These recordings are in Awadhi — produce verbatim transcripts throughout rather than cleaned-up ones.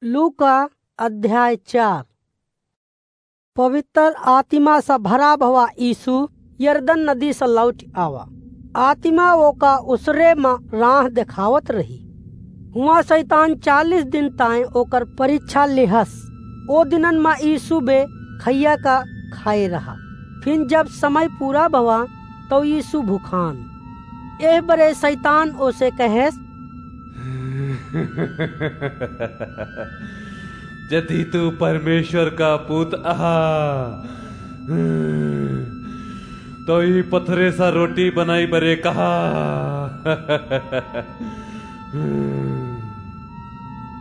लूका अध्याय चार। पवित्र आत्मा से भरा भवा यीशु यरदन नदी से लौट आवा। आत्मा ओका उसरे में राह देखावत रही। हुआ शैतान चालीस दिन ताई ओकर परीक्षा लेहस। ओ दिनन में यीशु बे खैया का खाए रहा। फिर जब समय पूरा भवा, तो यीशु भुखान। एह बरे शैतान ओसे कहेस, "यदि तू परमेश्वर का पूत अहा, तो ई पथरे सा रोटी बनाई बरे कहा।"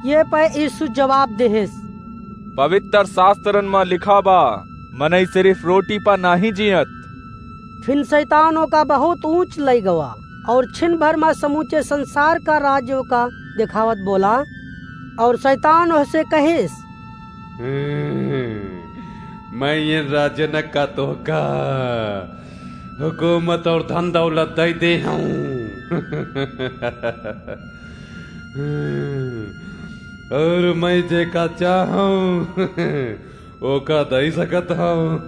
ये पे यीशु जवाब देहेस, "पवित्र शास्त्रन में लिखा बा, मनई सिर्फ रोटी पर नाही जियत।" फिन शैतान ओका बहुत ऊंच लई गवा और छिन भर में समूचे संसार का राज्य ओका देखावत बोला। और शैतान ओसे कहेस, "हम्म, मैं ये राजन का तोहका हुकूमत और धन दौलत दे दे हूँ।" और मैं जेका चाहूं, ओका दई सकत हूं।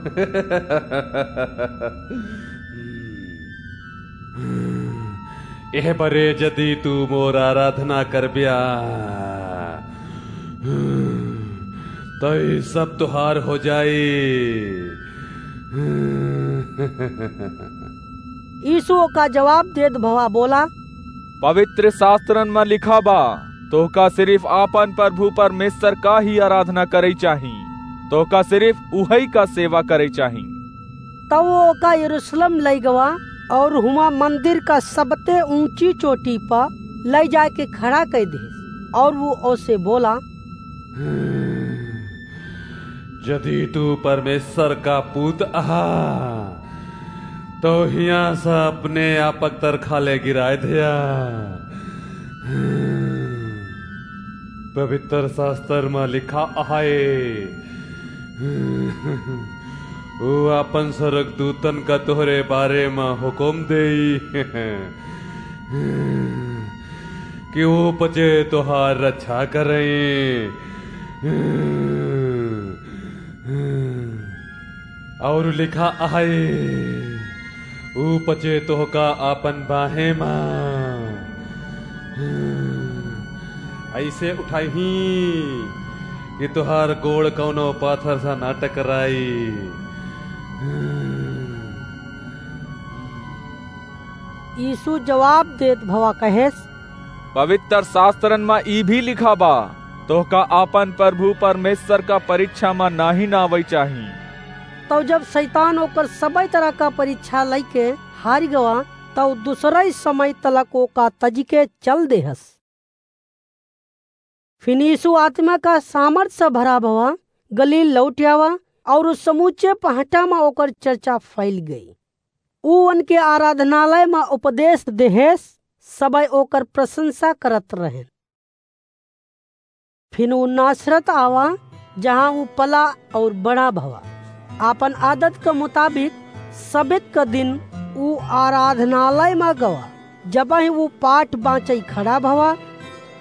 एह बरे यदि तू मोर आराधना करब्या, तो ई सब तुहार हो जाई। यीशु ओका जवाब देत भवा बोला, पवित्र शास्त्रन में लिखा बा, तोहका सिर्फ आपन प्रभु परमेश्वर का ही आराधना करई चाही, तोहका सिर्फ उहई का सेवा करई चाही। तब वो ओका यरूशलेम लई गवा और हुआ मंदिर का सबते ऊंची चोटी पर लई जाके खड़ा कर दे और वो ओसे बोला, यदि तू परमेश्वर का पूत अहा, तो हियां से अपने आपक तर खाले गिराए दिया। पवित्र शास्त्र में लिखा आहे, वो अपन स्वर्गदूतन का तोहरे बारे में हुकुम देई कि वो पचे तोहार रक्षा करें। और लिखा आहे, ऊ पचे तोहका आपन बाहें मा ऐसे उठाई कि तोहार गोड़ कौनो पाथर सा ना टकराई। यीशु जवाब देत भवा कहेस, पवित्र शास्त्रन मा ई भी लिखा बा, तोहका आपन प्रभु परमेश्वर का परीक्षा मा नाही नावई चाही। तब जब शैतान ओकर सबई तरह का परीक्षा लइके हारि गवा, तब दूसरई समय तलक ओका तजिके चल देहस। फिन यीशु आत्मा का सामर्थ से भरा भवा, गलील लौट आवा, और उस समूचे पहाटा मा ओकर चर्चा फैल गई। ऊ उनके आराधनालय मा उपदेश देहेस, सबई ओकर प्रशंसा करत रहेन। फिन ऊ नासरत आवा, जहाँ ऊ पला और बड़ा भवा। आपन आदत के मुताबिक सबत के दिन ऊ आराधनालय मा गवा। जबही ऊ पाठ बाँचई खड़ा भवा,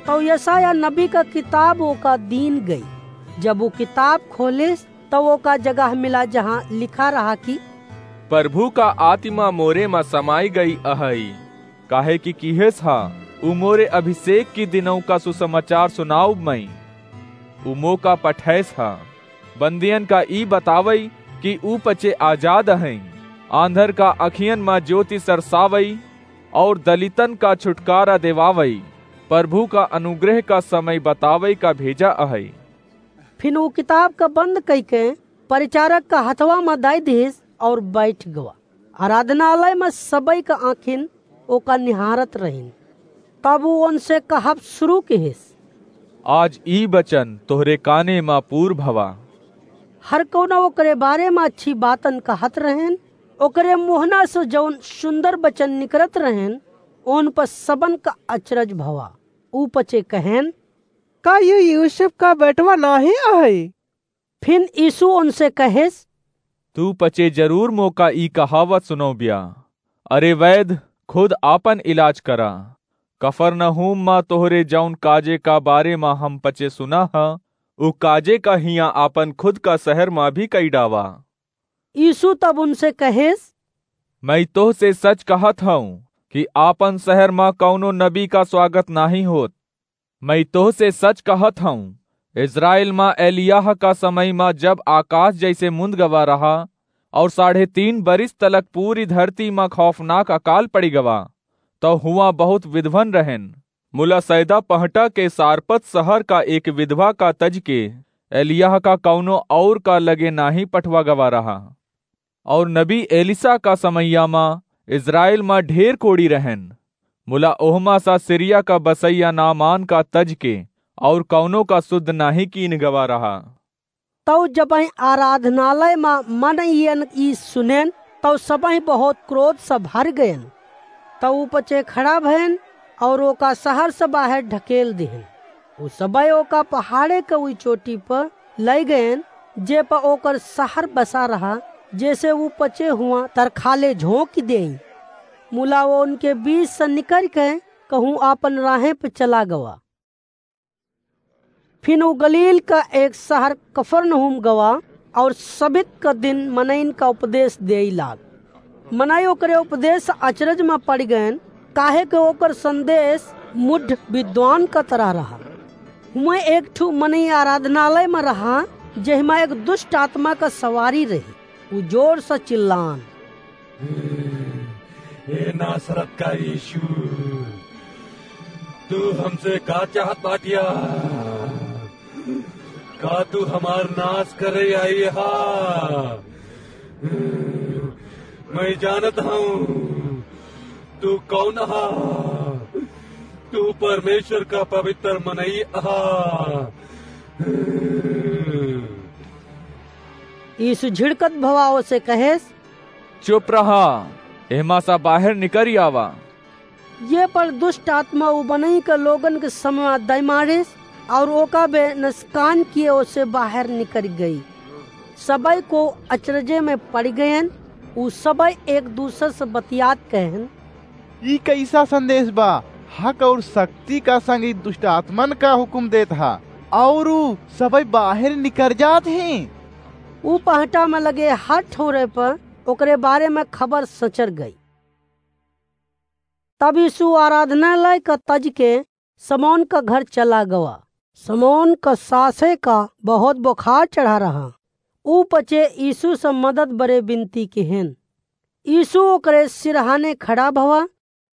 तब यशायाह नबी का किताब ओका दीन गई। जब ऊ किताब खोलेस, तब ओका जगह मिला, जहाँ लिखा रहा कि, प्रभु का आत्मा मोरे मा समाई गई अहई, काहे कि किहेस हा, ऊ मोरे अभिषेक की दिनऊ का सुसमाचार सुनाउब मई। ऊ मोका पठैस हा, बंदियन का ई बतावई कि ऊ पचे आजाद अहई, आंधर का अखियन मा ज्योति सरसावई, और दलितन का छुटकारा देवावई, प्रभु का अनुग्रह का समय बतावई का भेजा अहई। फिन ऊ किताब का बंद कइके परिचारक का हथवा मा दाई दिहिस और बैठ गवा। आराधनालय मा सबई का आँखिन ओका निहारत रहिन। तब ऊ उनसे कहब शुरू किहिस, आज ई वचन तोहरे काने मा पूर भवा। हर कौनो ओकरे बारे मा अच्छी बातन कहत रहेन। ओकरे मुहना से जौन सुंदर वचन निकरत रहेन, उन पर सबन का अचरज भवा। ऊ पचे कहेन, का यू यूसुफ का बेटवा नाही अहई? फिन यीशु उनसे कहेस, तू पचे जरूर मोका ई कहावत सुनौब्या, अरे वैद, खुद आपन इलाज करा। कफरनहूम मा तोहरे जौन काजे का बारे मा हम पचे सुना ह, उ काजे का हियाँ आपन खुद का सहर मा भी कइ डावा। यीशु तब उनसे कहेस, "मइँ तोहसे सच कहत हऊँ कि आपन सहर मा कउनो नबी का स्वागत नाहीं होत। मइँ तोहसे सच कहत हऊँ, इस्राएल मा एलियाह का समय मा जब आकास जइसे मुंद गवा रहा अउर साढ़े तीन बरिस तलक पूरी धरती मा खौफनाक अकाल पड़ि गवा, तौ हुआँ बहुत विधवन रहेन। मुला सैदा पहटा के सारपत सहर का एक विधवा का तज के एलियाह का कउनो अउर का लगे नाहीं पठवा गवा रहा। अउर नबी एलिसा का समइया मा इस्राएल मा ढेर कोड़ी रहेन, मुला ओहमा सा सीरिया का बसइया नामान का तज के अउर कउनो का सुद्ध नाहीं कीन गवा रहा।" तौ जबहिं आराधनालय मा मनइयन ई सुनेन, तौ सबहिं बहुत क्रोध से भर गएन। तौ ऊ पचे खड़ा भएन अउर ओका सहर से बाहेर ढकेल दिहेन। ऊ सबइ ओका पहाड़े के उई चोटी पर लइ गएन, जे पर ओकर सहर बसा रहा, जेसे ऊ पचे हुआँ तरखाले झोंकि देई। मुला ओनके बीच से निकरिके कहूँ आपन राहें पे चला गवा। फिन ऊ गलील का एक सहर कफरनहूम गवा अउर सबित का दिन मनइन का उपदेस देइ लाग। मनई ओकरे उपदेस अचरज मा पड़ि गएन, काहे के ओकर संदेस मुढ़ विद्वान का तरह रहा। हुएँ एक ठू मनई आराधनालय मा रहा, जेहमा एक दुष्ट आत्मा का सवारी रही। ऊ जोर से चिल्लान, "हे नासरत का यीशु, तू हमसे का चाहत बाटिया? का तू हमार नास करे आई हा? मैं जानत हूँ तू कौन हा। तू परमेश्वर का पवित्र मनई हा।" यीशु झिड़कत भवा ओसे कहेस, "चुप रहा, एहमा सा बाहेर निकरि आवा।" ये पर दुष्ट आत्मा उ मनई के लोगन के समवा दइ मारिस अउर ओका बे नसकान किए ओसे बाहेर निकरि गई। सबइ को अचरजे में पड़ि गएन। उ सबइ एक दूसर से बतियात कहेन, "ई कइसा संदेस बा? हक अउर शक्ति का संग ई दुष्ट आत्मन का हुकुम देत हा, अउर ऊ सबइ बाहेर निकर जात हीं।" ऊ पहटा में लगे हर ठौरे पर ओकरे बारे में खबर सचर गई। तब यीशु आराधनालय का तज के समौन का घर चला गवा। समौन का सासे का बहुत बुखार चढ़ा रहा। ऊ पचे यीशु से मदद बरे बिनती किहेन। यीशु ओकरे सिरहाने खड़ा भवा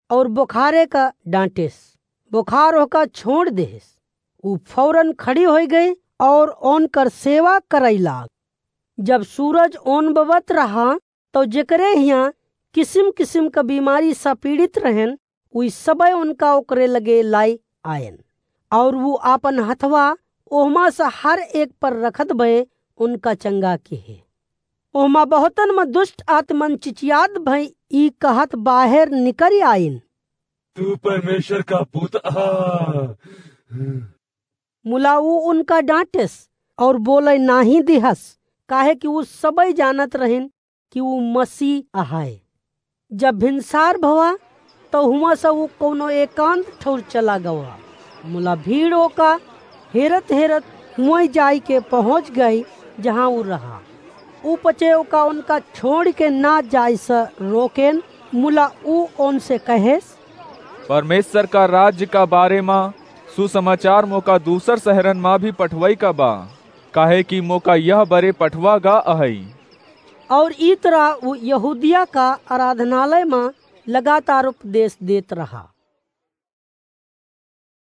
अउर बुखारे का डांटेस। बुखार ओहका छोड़ देहेस। ऊ फौरन खड़ी होइ गई अउर ओनकर सेवा करइ लाग। जब सूरज ओन बबत रहा, तौ जेकरे हियाँ किसिम-किसिम क बीमारी से पीड़ित रहेन, उई सबइ उनका ओकरे लगे लाइ आएन, अउर ऊ आपन हथवा ओहमा से हर एक पर रखत भए उनका चंगा किहे। ओहमा बहुतन म दुष्ट आत्मन चिचियात भई ई कहत बाहेर निकरि आइन, "तू परमेश्वर का पूत हा।" मुला ऊ उनका डांटेस अउर बोलइ नाहीं दिहस, काहे कि ऊ सबइ जानत रहिन कि ऊ मसीह अहाय। जब भिनसार भवा, तौ हुआँ से ऊ कउनो एकांत ठौर चला गवा। मुला भीड़ ओका हेरत-हेरत हुआँ जाइके पहुँच गई, जहाँ ऊ रहा। ऊ पचे ओका उनका छोड़िके ना जाइ से रोकेन, मुला ऊ ओनसे कहेस, "परमेश्वर का राज्य का बारे मा सुसमाचार मोका दूसर सहरन मा भी पठवइ का बा, काहे कि मोका यह बरे पठवा गा अहइ।" अउर ई तरह ऊ यहूदिया का आराधनालय मा लगातार उपदेस देत रहा।